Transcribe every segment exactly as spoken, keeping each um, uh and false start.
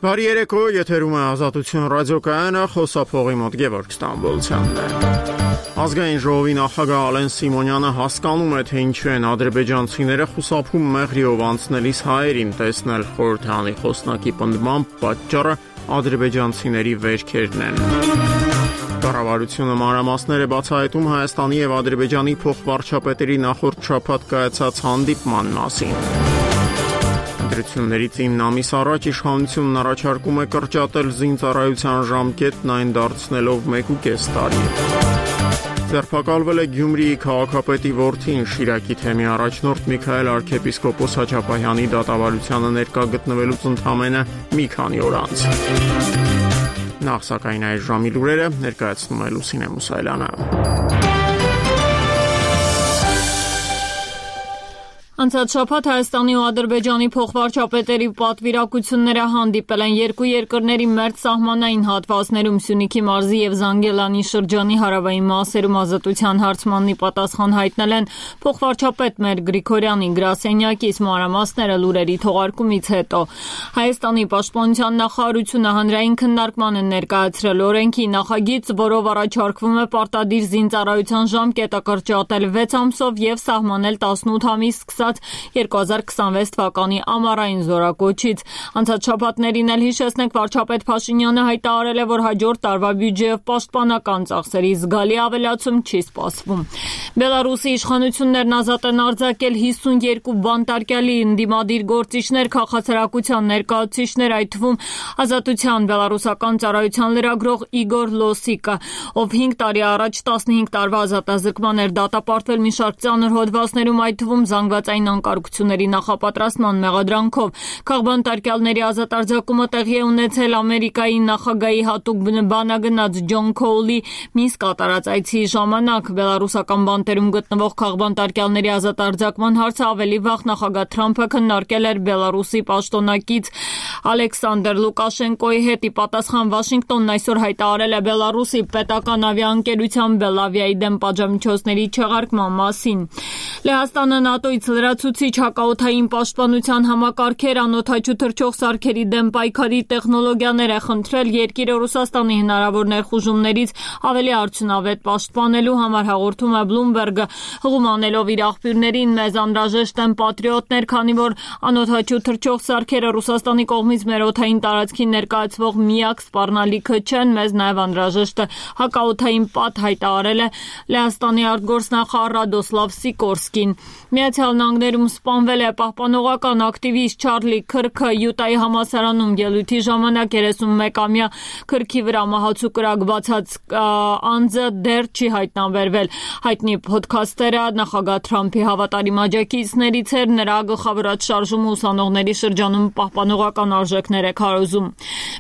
Բարի երեկո, եթերում է Ազատություն ռադիոկայանը, խոսափողի մոտ Գևորգ Ստամբոլցյանն է։ Ազգային ժողովի նախագահ Ալեն Սիմոնյանը հասկանում է, թե ինչու են ադրբեջանցիները խուսափում մեղրիով անցնելիս հայերին տեսնել խորհրդանի խոսնակի պնդմամբ պատճառը ադրբեջանցիների վերքերն են։ Կառավարությունը մանրամասներ է բացահայտում Հայաստանի եւ Ադրբեջանի փոխվարչապետերի նախորդ շաբաթ կայացած հանդիպման մասին։ Ընտրություններից ինը ամիս առաջ իշխանությունն առաջարկում է կրճատել զինծառայության ժամկետն, այն դարձնելով մեկուկես տարի։ Ձերբակալվել է Գյումրիի քաղաքապետի որդին, Շիրակի թեմի առաջնորդ Միքայել arczepiskopos Հաչապահյանի դատավարությանը ներկա գտնվելուց ընդամենը մի քանի օր անց։ Նախ սակայն այս ժամի լուրերը ներկայացնում է Լուսինե Մուսայելյանը։ Անցած շաբաթ Հայաստանի ու Ադրբեջանի փոխվարչապետերի պատվիրակությունները հանդիպել են երկու երկրների մերձ սահմանային հատվածներում Սյունիքի մարզի եւ Զանգելանի շրջանի հարավային մասերում ազատության հարցմանի պատասխան հայտնել են փոխվարչապետ Մեր Գրիգորյանի գրասենյակից մանրամասները լուրերի թողարկումից հետո։ Հայաստանի պաշտպանության նախարարությունը հանրային քննարկման է ներկայացրել օրենքի նախագիծ, որով առաջարկվում է պարտադիր զինծառայության ժամկետը կրճատել վեց ամսով եւ սահմանել տասնութ ամիս երկու հազար քսանվեց թվականի ամառային զորակոչից։ Անցած շաբաթներին էլ հիշեցնենք, վարչապետ Փաշինյանը հայտարարել է, որ հաջորդ տարվա բյուջեով պաշտպանական ծախսերի զգալի ավելացում չի սպասվում։ Բելարուսի իշխանություններն ազատ են արձակել հիսունյերկու բանտարկյալի ընդդիմադիր գործիչներ, քաղաքացիական ներկայացուցիչներ, այդ թվում Ազատության բելարուսական ծառայության լրագրող Իգոր Լոսիկը, ով հինգ տարի առաջ տասնհինգ տարվա ազատազրկման էր դատապարտվել մի շարք ծանր հոդվածներում, այդ թվում զանգվածային անկարգությունների նախապատրաստման մեղադրանքով։ Քաղբանտարկյալների ազատ արձակումը տեղի է ունեցել Ամերիկայի նախագահի հատուկ բանագնաց Ջոն Քոուլի Մինսկ կատարած այցի ժամանակ։ Բելարուսական բանտերում գտնվող քաղբանտարկյալների ազատ արձակման հարցը ավելի վաղ նախագահ Թրամփը քննարկել էր Բելարուսի պաշտոնակից Ալեքսանդր Լուկաշենկոյի հետ։ Ի պատասխան Վաշինգտոնն այսօր հայտարարել է Բելարուսի պետական ավիաընկերության Բելավիայի դեմ պատժամիջոցների չեղարկման մասին։ Լեհաստանը ՆԱՏՕ-ից լրացուցիչ հակաօդային պաշտպանության համակարգեր, անօդաչու թռչող սարքերի դեմ պայքարի տեխնոլոգիաներ է խնդրել երկիրը Ռուսաստանի հնարավոր ներխուժումներից ավելի արդյունավետ պաշտպանելու համար, հաղորդում է Bloomberg-ը, հղումանելով իր աղբյուրներին։ Մեզ անհրաժեշտ են պատրիոտներ, քանի որ անօդաչու թռչող սարքերը Ռուսաստանի կողմից մեր օդային տարածքին ներկայացվող միակ սպառնալիքը չեն, մեզ նաև անհրաժեշտ է հակաօդային պատ, հայտարարել է Լեհաստանի արտգործնախարար Ռադոսլավ Սիկորսկին։ Միացյալ Նահանգներում սպանվել է պահպանողական ակտիվիստ Չարլի Քրքը, Յուտայի համալսարանում ելույթի ժամանակ երեսունմեկամյա Քրքի վրա մահացու կրակ բացած անձը դեռ չի հայտնաբերվել։ Հայտնի փոդքասթերը նախագահ Թրամփի հավատարիմ աջակիցներից էր, նրա գլխավորած շարժումը ուսանողների շրջանում պահպանողական արժեքներ է քարոզում։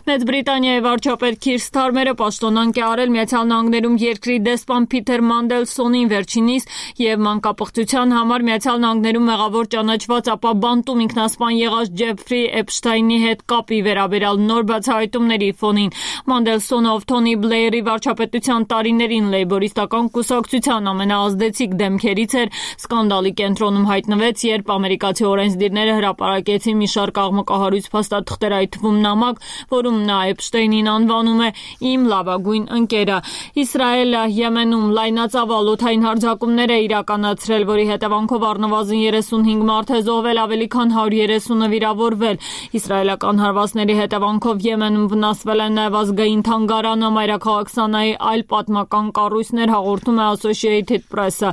Մեծ Բրիտանիայի վարչապետ Քիր Սթարմերը պաշտոնանկ է արել Միացյալ Նահանգներում երկրի դեսպան Փիթեր Մանդելսոնին վերջինիս եւ մանկապղծության համար Միացյալ Նահանգներում մեղավոր ճանաչված, ապա բանտում ինքնասպան եղած Ջեֆրի Էփշտայնի հետ կապի վերաբերյալ նոր բացահայտումների ֆոնին Մանդելսոնը, ով Թոնի Բլեյերի վարչապետության տարիներին լեյբորիստական կուսակցության ամենաազդեցիկ դեմքերից էր, սկանդալի կենտրոնում հայտնվեց, երբ ամերիկացի օրենսդիրները հրապարակեցին մի շարք աղմկահարույց փաստաթղթեր, այդ թվում նամակ, որում նա Էփշտայնին անվանում է «իմ լավագույն ընկերը»։ Իսրայելը Եմենում լայնածավալ օդային հարձակումներ է իրականացրել, որի հետևանքով առնվազն երեսունհինգ մարդ է զոհվել, ավելի քան հարյուր երեսունը վիրավորվել։ Իսրայելական հարվածների հետևանքով Եմենում վնասվել է նաև ազգային թանգարանը, մայրաքաղաք Սանայի այլ պատմական կառույցներ, հաղորդում է Associated Press-ը։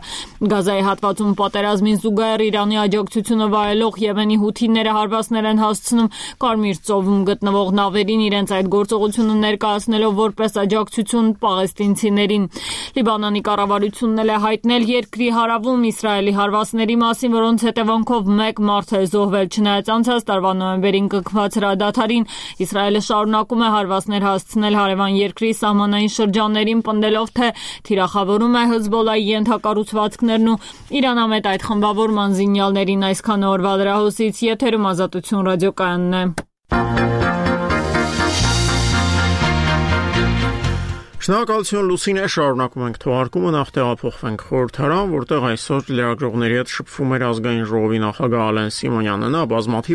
Գազայի հատվածում պատերազմին զուգահեռ Իրանի աջակցությունը վայելող Եմենի հութիները հարվածներ են հասցնում Կարմիր ծովում գտնվող նավերին, իրենց այդ գործողությունը ներկայացնելով որպես աջակցություն պաղեստինցիներին։ Լիբանանի կառավարությունն էլ է հայտնել երկրի հարավում Իսրայելի հարվածների մասին, որոնց հետևանքով մեկ մարդ է զոհվել։ Չնայած անցած տարվա նոյեմբերին կնքված հրադադարին, Իսրայելը շարունակում է հարվածներ հասցնել հարևան երկրի սահմանային շրջաններին, պնդելով, թե թիրախավորում է Հեզբոլայի ենթակառուցվածքներն ու Իրանամետ այդ խմբավորման զինյալներին։ Այսքան օրվա լրահոսից եթերում Ազատություն ռադիոկայանն է։ Շնորհակալություն Լուսինե, շարունակում ենք թողարկումը, նախ տեղափոխվենք խորհրդարան, որտեղ այսօր լրագրողների հետ շփվում էր ազգային ժողովի նախագահ Ալեն Սիմոնյանը։ Նա բազմաթիվ